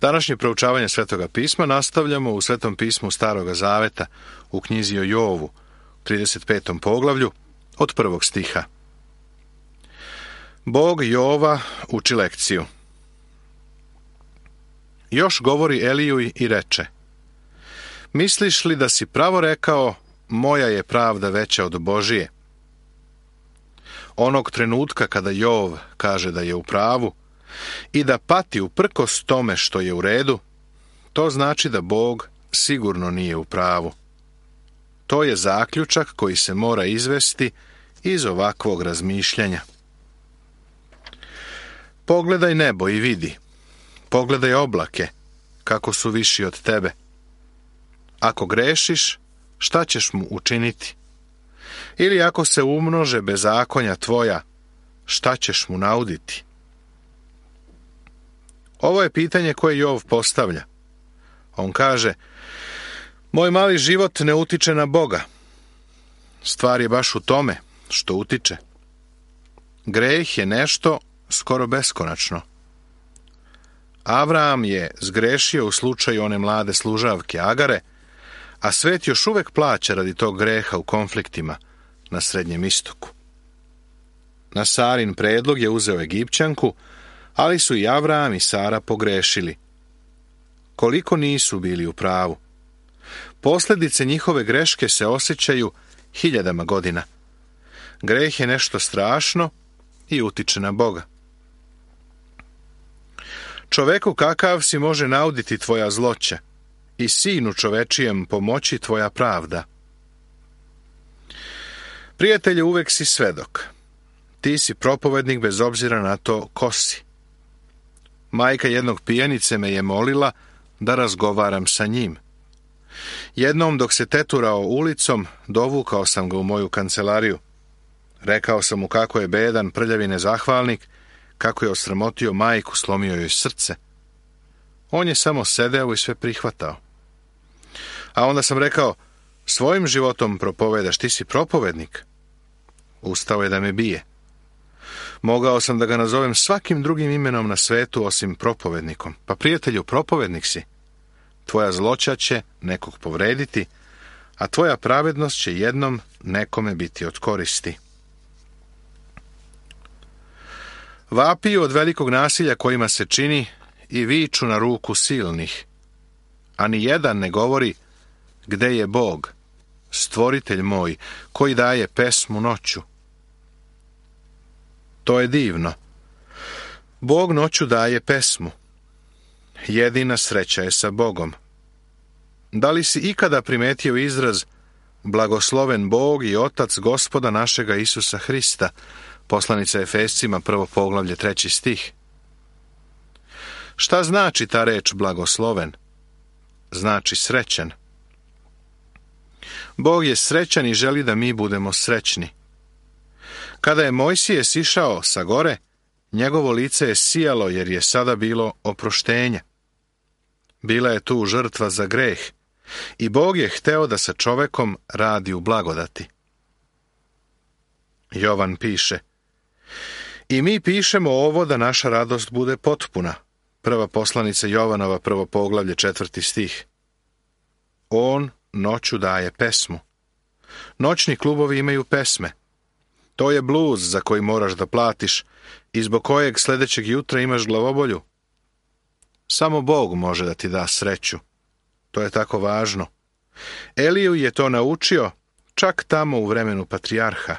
Današnje proučavanje Svetoga pisma nastavljamo u Svetom pismu Staroga Zaveta, u knjizi o Jovu, 35. poglavlju, od 1. stiha. Bog Jova uči lekciju. Još govori Eliju i reče: misliš li da si pravo rekao, moja je pravda veća od Božije? Onog trenutka kada Jov kaže da je u pravu i da pati uprkos tome što je u redu, to znači da Bog sigurno nije u pravu. To je zaključak koji se mora izvesti iz ovakvog razmišljanja. Pogledaj nebo i vidi. Pogledaj oblake, kako su viši od tebe. Ako grešiš, šta ćeš mu učiniti? Ili ako se umnože bezakonja tvoja, šta ćeš mu nauditi? Ovo je pitanje koje Jov postavlja. On kaže: moj mali život ne utiče na Boga. Stvar je baš u tome što utiče. Greh je nešto skoro beskonačno. Avram je zgrešio u slučaju one mlade služavke Agare, a svet još uvek plaća radi tog greha u konfliktima na Srednjem istoku. Na Sarin predlog je uzeo Egipćanku, ali su i Avram i Sara pogrešili. Koliko nisu bili u pravu. Posljedice njihove greške se osjećaju hiljadama godina. Greh je nešto strašno i utiče na Boga. Čoveku kakav si može nauditi tvoja zloća i sinu čovečijem pomoći tvoja pravda. Prijatelju, uvek si svedok. Ti si propovednik bez obzira na to ko si. Majka jednog pijanice me je molila da razgovaram sa njim. Jednom dok se teturao ulicom, dovukao sam ga u moju kancelariju. Rekao sam mu kako je bedan, prljavi nezahvalnik, kako je osramotio majku, slomio joj srce. On je samo sedeo i sve prihvatao. A onda sam rekao: svojim životom propovedaš, ti si propovednik. Ustao je da me bije. Mogao sam da ga nazovem svakim drugim imenom na svetu osim propovednikom. Pa prijatelju, propovednik si. Tvoja zloća će nekog povrediti, a tvoja pravednost će jednom nekome biti od koristi. Vapiju od velikog nasilja kojima se čini i viču na ruku silnih, a ni jedan ne govori: gde je Bog, stvoritelj moj, koji daje pesmu noću. To je divno. Bog noću daje pesmu. Jedina sreća je sa Bogom. Da li si ikada primetio izraz blagosloven Bog i Otac Gospoda našega Isusa Hrista? Poslanica Efescima, 1. poglavlje, 3. stih. Šta znači ta reč blagosloven? Znači srećan. Bog je srećan i želi da mi budemo srećni. Kada je Mojsije sišao sa gore, njegovo lice je sijalo jer je sada bilo oproštenje. Bila je tu žrtva za greh i Bog je hteo da sa čovekom radi u blagodati. Jovan piše: i mi pišemo ovo da naša radost bude potpuna. Prva poslanica Jovanova, 1. poglavlje, 4. stih. On noću daje pesmu. Noćni klubovi imaju pesme. To je bluz za koji moraš da platiš i zbog kojeg sljedećeg jutra imaš glavobolju. Samo Bog može da ti da sreću. To je tako važno. Eliju je to naučio čak tamo u vremenu patrijarha.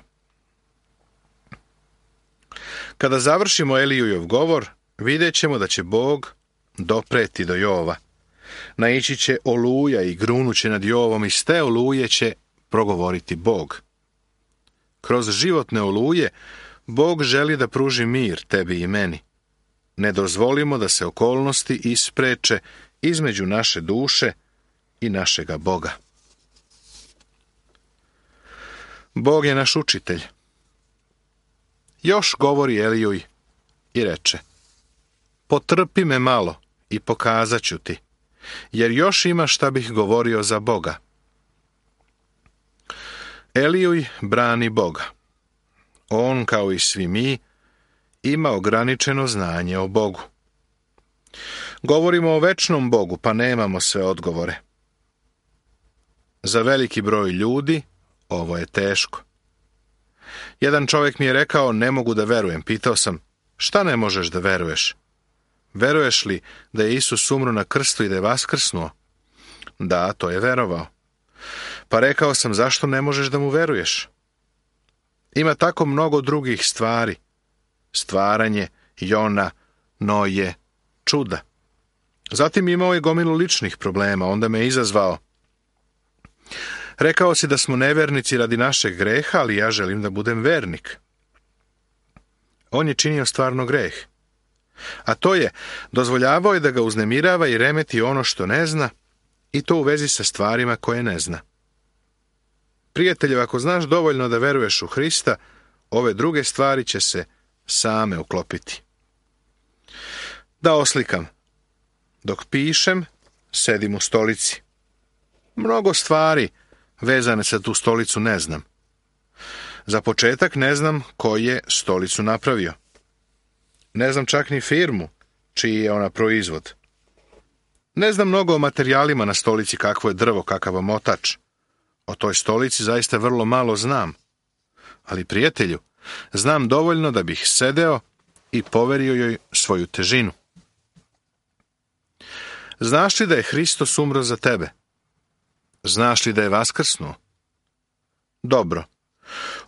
Kada završimo Elijujov govor, vidjet ćemo da će Bog dopreti do Jova. Naići će oluja i grunuće nad Jovom i s te oluje će progovoriti Bog. Kroz životne oluje Bog želi da pruži mir tebi i meni. Ne dozvolimo da se okolnosti ispreče između naše duše i našega Boga. Bog je naš učitelj. Još govori Elijuj i reče: potrpi me malo i pokazat ću ti, jer još ima šta bih govorio za Boga. Elijuj brani Boga. On, kao i svi mi, ima ograničeno znanje o Bogu. Govorimo o večnom Bogu, pa nemamo sve odgovore. Za veliki broj ljudi ovo je teško. Jedan čovjek mi je rekao, ne mogu da verujem. Pitao sam, šta ne možeš da veruješ? Veruješ li da je Isus umro na krstu i da je vaskrsnuo? Da, to je verovao. Pa rekao sam, zašto ne možeš da mu veruješ? Ima tako mnogo drugih stvari. Stvaranje, Jona, Noje, čuda. Zatim imao je gomilu ličnih problema, onda me je izazvao. Rekao si da smo nevernici radi našeg greha, ali ja želim da budem vernik. On je činio stvarno greh. A to je, dozvoljavao je da ga uznemirava i remeti ono što ne zna, i to u vezi sa stvarima koje ne zna. Prijatelju, ako znaš dovoljno da veruješ u Hrista, ove druge stvari će se same uklopiti. Da oslikam. Dok pišem, sedim u stolici. Mnogo stvari vezane za tu stolicu ne znam. Za početak ne znam ko je stolicu napravio. Ne znam čak ni firmu, čiji je ona proizvod. Ne znam mnogo o materijalima na stolici, kakvo je drvo, kakav omotač. O toj stolici zaista vrlo malo znam. Ali, prijatelju, znam dovoljno da bih sedeo i poverio joj svoju težinu. Znaš li da je Hristos umro za tebe? Znaš li da je vaskrsnuo? Dobro.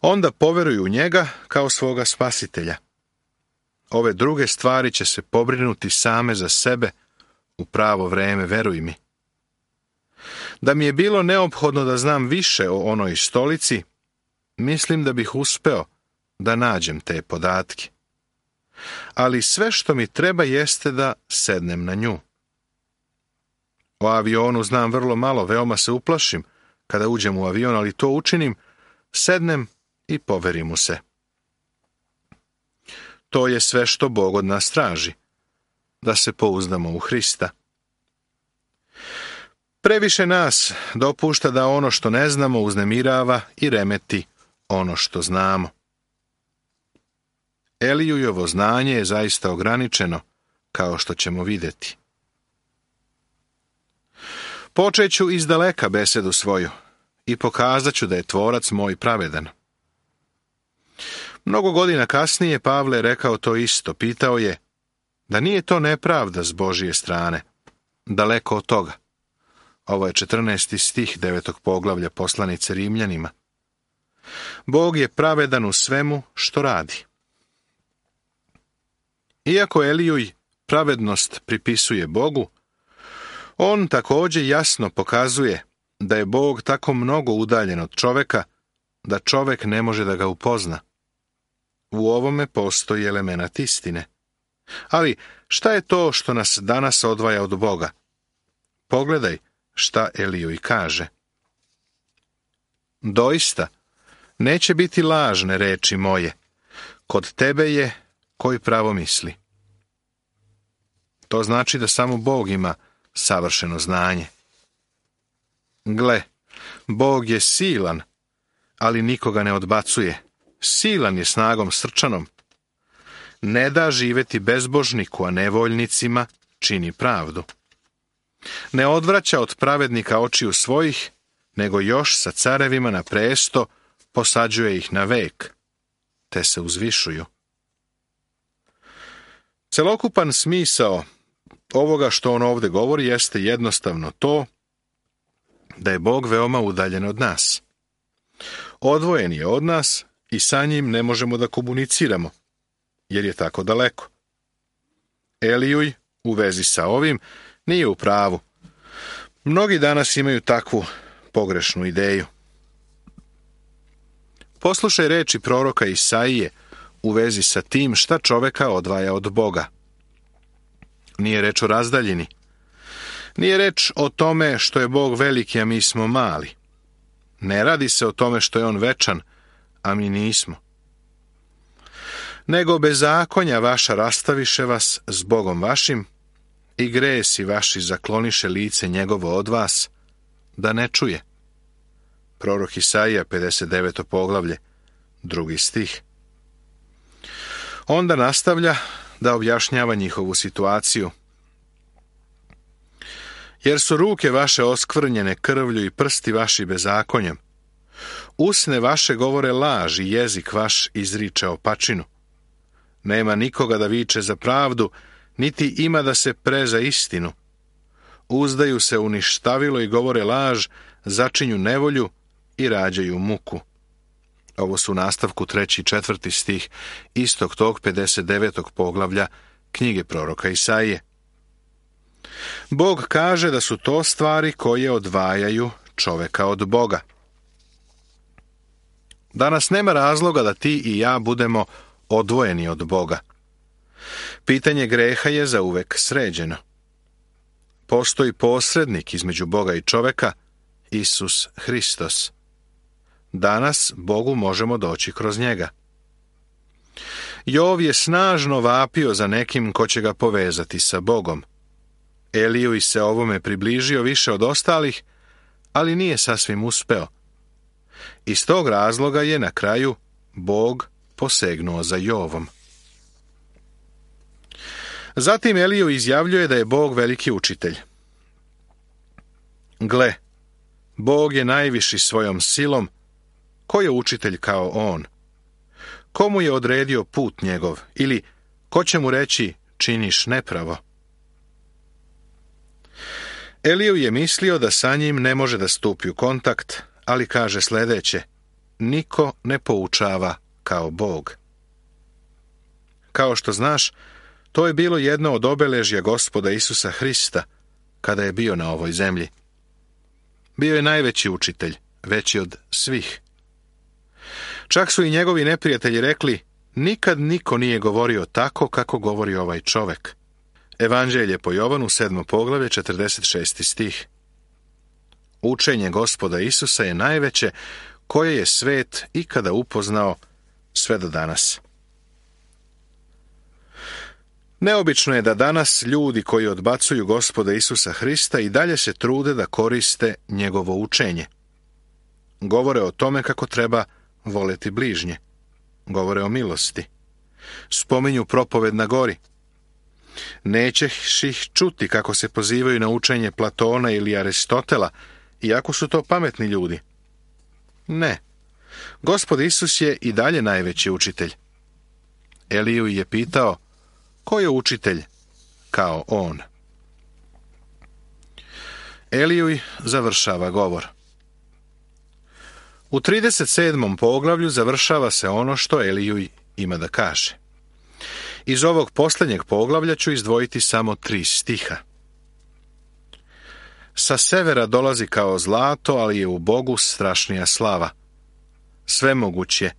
Onda poveruj u njega kao svoga spasitelja. Ove druge stvari će se pobrinuti same za sebe u pravo vreme, veruj mi. Da mi je bilo neophodno da znam više o onoj stolici, mislim da bih uspeo da nađem te podatke. Ali sve što mi treba jeste da sednem na nju. O avionu znam vrlo malo, veoma se uplašim kada uđem u avion, ali to učinim, sednem i poverim mu se. To je sve što Bog od nas traži, da se pouzdamo u Hrista. Previše nas dopušta da ono što ne znamo uznemirava i remeti ono što znamo. Elijujevo znanje je zaista ograničeno, kao što ćemo vidjeti. Počet ću izdaleka besedu svoju i pokazat ću da je tvorac moj pravedan. Mnogo godina kasnije Pavle je rekao to isto, pitao je da nije to nepravda s Božije strane. Daleko od toga. Ovo je 14. stih 9. poglavlja poslanice Rimljanima. Bog je pravedan u svemu što radi. Iako Elijuj pravednost pripisuje Bogu, on također jasno pokazuje da je Bog tako mnogo udaljen od čoveka da čovek ne može da ga upozna. U ovome postoji element istine. Ali šta je to što nas danas odvaja od Boga? Pogledaj šta Elijuj kaže. Doista, neće biti lažne reči moje. Kod tebe je koji pravo misli. To znači da samo Bog ima savršeno znanje. Gle, Bog je silan, ali nikoga ne odbacuje. Silan je snagom srčanom. Ne da živeti bezbožniku, a nevoljnicima čini pravdu. Ne odvraća od pravednika očiju svojih, nego još sa carevima na presto posađuje ih na vek, te se uzvišuju. Celokupan smisao ovoga što on ovdje govori jeste jednostavno to da je Bog veoma udaljen od nas. Odvojen je od nas i sa njim ne možemo da komuniciramo, jer je tako daleko. Elijuj u vezi sa ovim nije u pravu. Mnogi danas imaju takvu pogrešnu ideju. Poslušaj reči proroka Isaije u vezi sa tim šta čoveka odvaja od Boga. Nije reč o razdaljini. Nije reč o tome što je Bog veliki, a mi smo mali. Ne radi se o tome što je on večan, a mi nismo. Nego bezakonja vaša rastaviše vas s Bogom vašim i gresi vaši zakloniše lice njegovo od vas, da ne čuje. Prorok Isaija, 59. poglavlje, 2. stih. Onda nastavlja da objašnjava njihovu situaciju. Jer su ruke vaše oskvrnjene krvlju i prsti vaši bezakonjem. Usne vaše govore laž i jezik vaš izriče opačinu. Nema nikoga da viče za pravdu, niti ima da se pre za istinu. Uzdaju se u ništavilo i govore laž, začinju nevolju i rađaju muku. Ovo su u nastavku 3. i 4. stih istog tog 59. poglavlja knjige proroka Isaije. Bog kaže da su to stvari koje odvajaju čoveka od Boga. Danas nema razloga da ti i ja budemo odvojeni od Boga. Pitanje greha je zauvek sređeno. Postoji posrednik između Boga i čoveka, Isus Hristos. Danas Bogu možemo doći kroz njega. Jov je snažno vapio za nekim ko će ga povezati sa Bogom. Eliju se ovome približio više od ostalih, ali nije sasvim uspeo. Iz tog razloga je na kraju Bog posegnuo za Jovom. Zatim Eliju izjavljuje da je Bog veliki učitelj. Gle, Bog je najviši svojom silom. Ko je učitelj kao on? Komu je odredio put njegov? Ili ko će mu reći činiš nepravo? Eliju je mislio da sa njim ne može da stupi u kontakt, ali kaže sljedeće: niko ne poučava kao Bog. Kao što znaš, to je bilo jedno od obeležja Gospoda Isusa Hrista kada je bio na ovoj zemlji. Bio je najveći učitelj, veći od svih. Čak su i njegovi neprijatelji rekli: nikad niko nije govorio tako kako govori ovaj čovek. Evanđelje po Jovanu, 7. poglavlje, 46. stih. Učenje Gospoda Isusa je najveće koje je svet ikada upoznao sve do danas. Neobično je da danas ljudi koji odbacuju Gospoda Isusa Hrista i dalje se trude da koriste njegovo učenje. Govore o tome kako treba voleti bližnje. Govore o milosti. Spominju propoved na gori. Nećeš ih čuti kako se pozivaju na učenje Platona ili Aristotela, iako su to pametni ljudi. Ne. Gospod Isus je i dalje najveći učitelj. Eliju je pitao: ko je učitelj kao on? Eliju završava govor. U 37. poglavlju završava se ono što Eliju ima da kaže. Iz ovog posljednjeg poglavlja ću izdvojiti samo 3 stiha. Sa severa dolazi kao zlato, ali je u Bogu strašnija slava. Svemoguć je,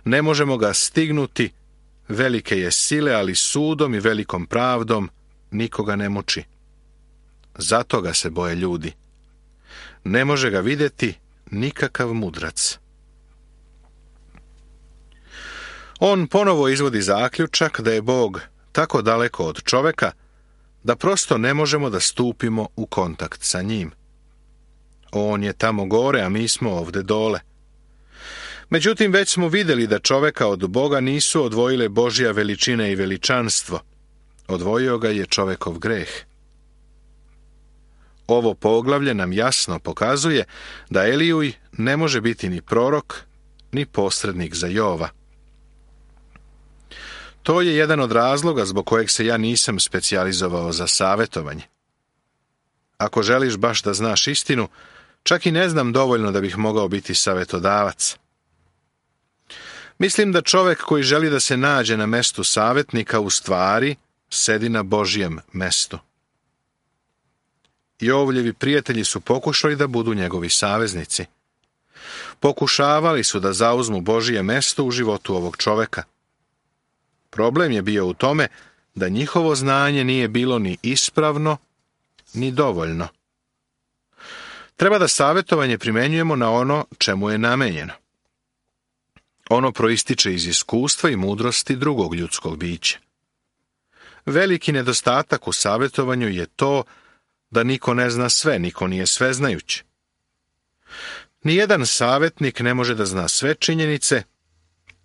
ne možemo ga stignuti, velike je sile, ali sudom i velikom pravdom nikoga ne muči. Zato ga se boje ljudi. Ne može ga vidjeti nikakav mudrac. On ponovo izvodi zaključak da je Bog tako daleko od čoveka da prosto ne možemo da stupimo u kontakt sa njim. On je tamo gore, a mi smo ovde dole. Međutim, već smo vidjeli da čoveka od Boga nisu odvojile Božja veličina i veličanstvo. Odvojio ga je čovekov greh. Ovo poglavlje nam jasno pokazuje da Eliju ne može biti ni prorok, ni posrednik za Jova. To je jedan od razloga zbog kojeg se ja nisam specijalizovao za savjetovanje. Ako želiš baš da znaš istinu, čak i ne znam dovoljno da bih mogao biti savjetodavac. Mislim da čovek koji želi da se nađe na mestu savjetnika u stvari sedi na Božjem mestu. Jovljevi prijatelji su pokušali da budu njegovi saveznici. Pokušavali su da zauzmu Božje mesto u životu ovog čoveka. Problem je bio u tome da njihovo znanje nije bilo ni ispravno, ni dovoljno. Treba da savjetovanje primenjujemo na ono čemu je namenjeno. Ono proističe iz iskustva i mudrosti drugog ljudskog bića. Veliki nedostatak u savjetovanju je to da niko ne zna sve, niko nije sveznajući. Nijedan savjetnik ne može da zna sve činjenice,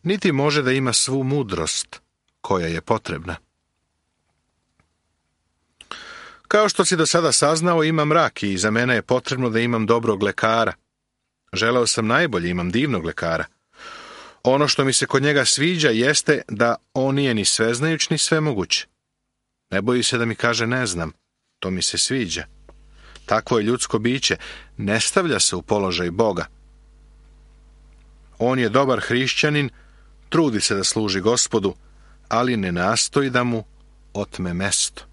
niti može da ima svu mudrost koja je potrebna. Kao što si do sada saznao, imam rak i za mene je potrebno da imam dobrog lekara. Želeo sam najbolje, imam divnog lekara. Ono što mi se kod njega sviđa jeste da on nije ni sveznajuć ni svemoguć. Ne boji se da mi kaže ne znam, to mi se sviđa. Takvo je ljudsko biće, ne stavlja se u položaj Boga. On je dobar hrišćanin, trudi se da služi Gospodu, ali ne nastoji da mu otme mesto.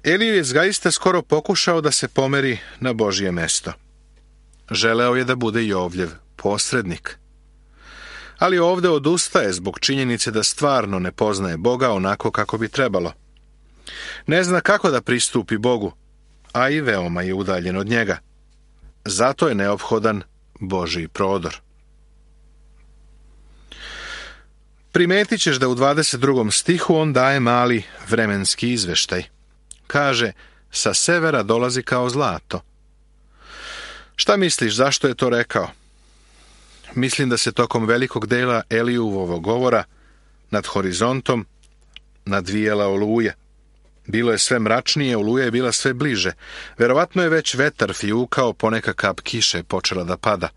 Eliju je zaista skoro pokušao da se pomeri na Božje mesto. Želeo je da bude Jovljev posrednik. Ali ovdje odustaje zbog činjenice da stvarno ne poznaje Boga onako kako bi trebalo. Ne zna kako da pristupi Bogu, a i veoma je udaljen od njega. Zato je neophodan Božji prodor. Primetit ćeš da u 22. stihu on daje mali vremenski izveštaj. Kaže, sa severa dolazi kao zlato. Šta misliš, zašto je to rekao? Mislim da se tokom velikog dela Elijuvovog govora nad horizontom nadvijela oluja. Bilo je sve mračnije, oluja je bila sve bliže. Verovatno je već vetar fijukao, poneka kap kiše je počela da pada.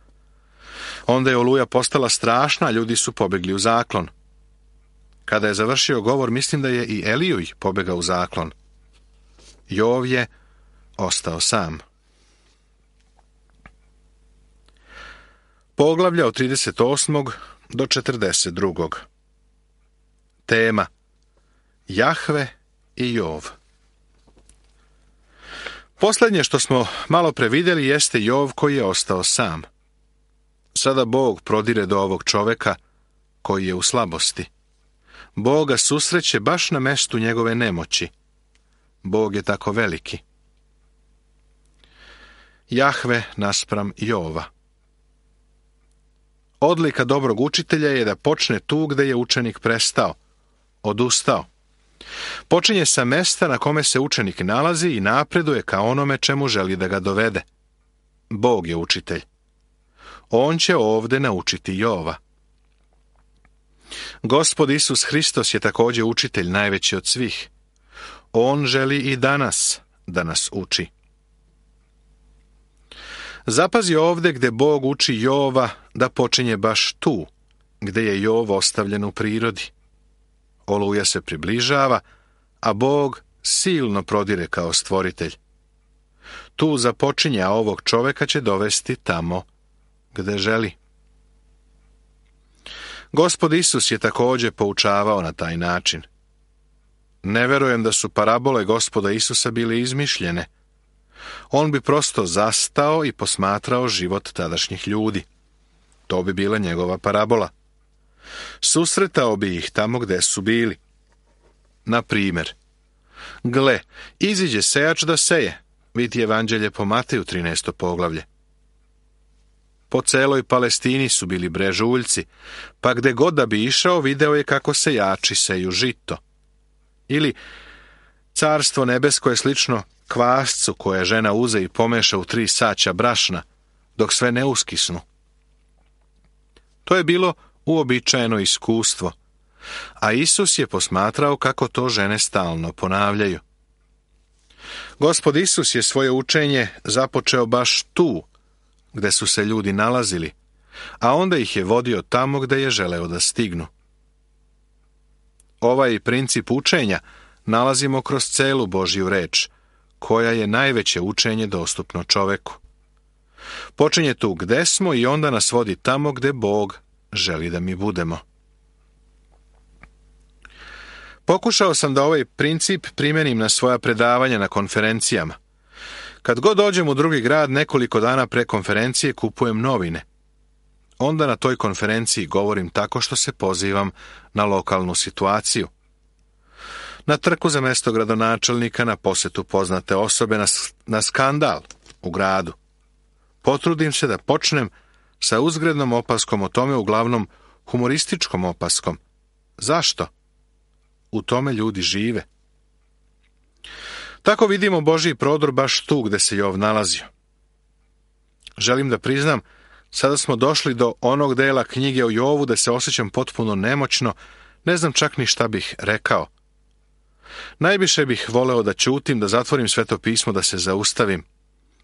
Onda je oluja postala strašna, ljudi su pobegli u zaklon. Kada je završio govor, mislim da je i Elijuj pobegao u zaklon. Jov je ostao sam. Poglavlja od 38. do 42. Tema: Jahve i Jov. Posljednje što smo malo previdjeli jeste Jov koji je ostao sam. Sada Bog prodire do ovog čoveka koji je u slabosti. Bog ga susreće baš na mestu njegove nemoći. Bog je tako veliki. Jahve naspram Jova. Odlika dobrog učitelja je da počne tu gde je učenik prestao, odustao. Počinje sa mesta na kome se učenik nalazi i napreduje ka onome čemu želi da ga dovede. Bog je učitelj. On će ovde naučiti Jova. Gospod Isus Hristos je također učitelj najveći od svih. On želi i danas da nas uči. Zapazi ovde gde Bog uči Jova da počinje baš tu, gde je Jov ostavljen u prirodi. Oluja se približava, a Bog silno prodire kao stvoritelj. Tu započinje, a ovog čoveka će dovesti tamo gde želi. Gospod Isus je također poučavao na taj način. Ne verujem da su parabole Gospoda Isusa bile izmišljene. On bi prosto zastao i posmatrao život tadašnjih ljudi. To bi bila njegova parabola. Susretao bi ih tamo gde su bili. Na primjer, gle, iziđe sejač da seje, vidi Evanđelje po Mateju 13. poglavlje. Po celoj Palestini su bili brežuljci, pa gde god da bi išao, video je kako sejači seju žito. Ili carstvo nebesko je slično kvascu koje žena uze i pomeša u 3 saća brašna, dok sve ne uskisnu. To je bilo uobičajeno iskustvo, a Isus je posmatrao kako to žene stalno ponavljaju. Gospod Isus je svoje učenje započeo baš tu, gde su se ljudi nalazili, a onda ih je vodio tamo gde je želeo da stignu. Ovaj princip učenja nalazimo kroz celu Božju reč, koja je najveće učenje dostupno čoveku. Počinje tu gde smo i onda nas vodi tamo gde Bog želi da mi budemo. Pokušao sam da ovaj princip primenim na svoja predavanja na konferencijama. Kad god dođem u drugi grad, nekoliko dana pre konferencije kupujem novine. Onda na toj konferenciji govorim tako što se pozivam na lokalnu situaciju. Na trku za mesto gradonačelnika, na posetu poznate osobe, na skandal u gradu. Potrudim se da počnem sa uzgrednom opaskom o tome, uglavnom humorističkom opaskom. Zašto? U tome ljudi žive. Tako vidimo Božji prodor baš tu gde se Jov nalazio. Želim da priznam, sada smo došli do onog dela knjige o Jovu da se osjećam potpuno nemoćno, ne znam čak ni šta bih rekao. Najviše bih voleo da ćutim, da zatvorim Sveto pismo, da se zaustavim.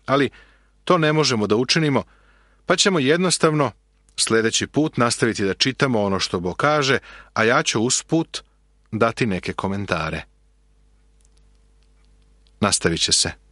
Ali to ne možemo da učinimo, pa ćemo jednostavno sljedeći put nastaviti da čitamo ono što Bog kaže, a ja ću usput dati neke komentare. Nastavit će se.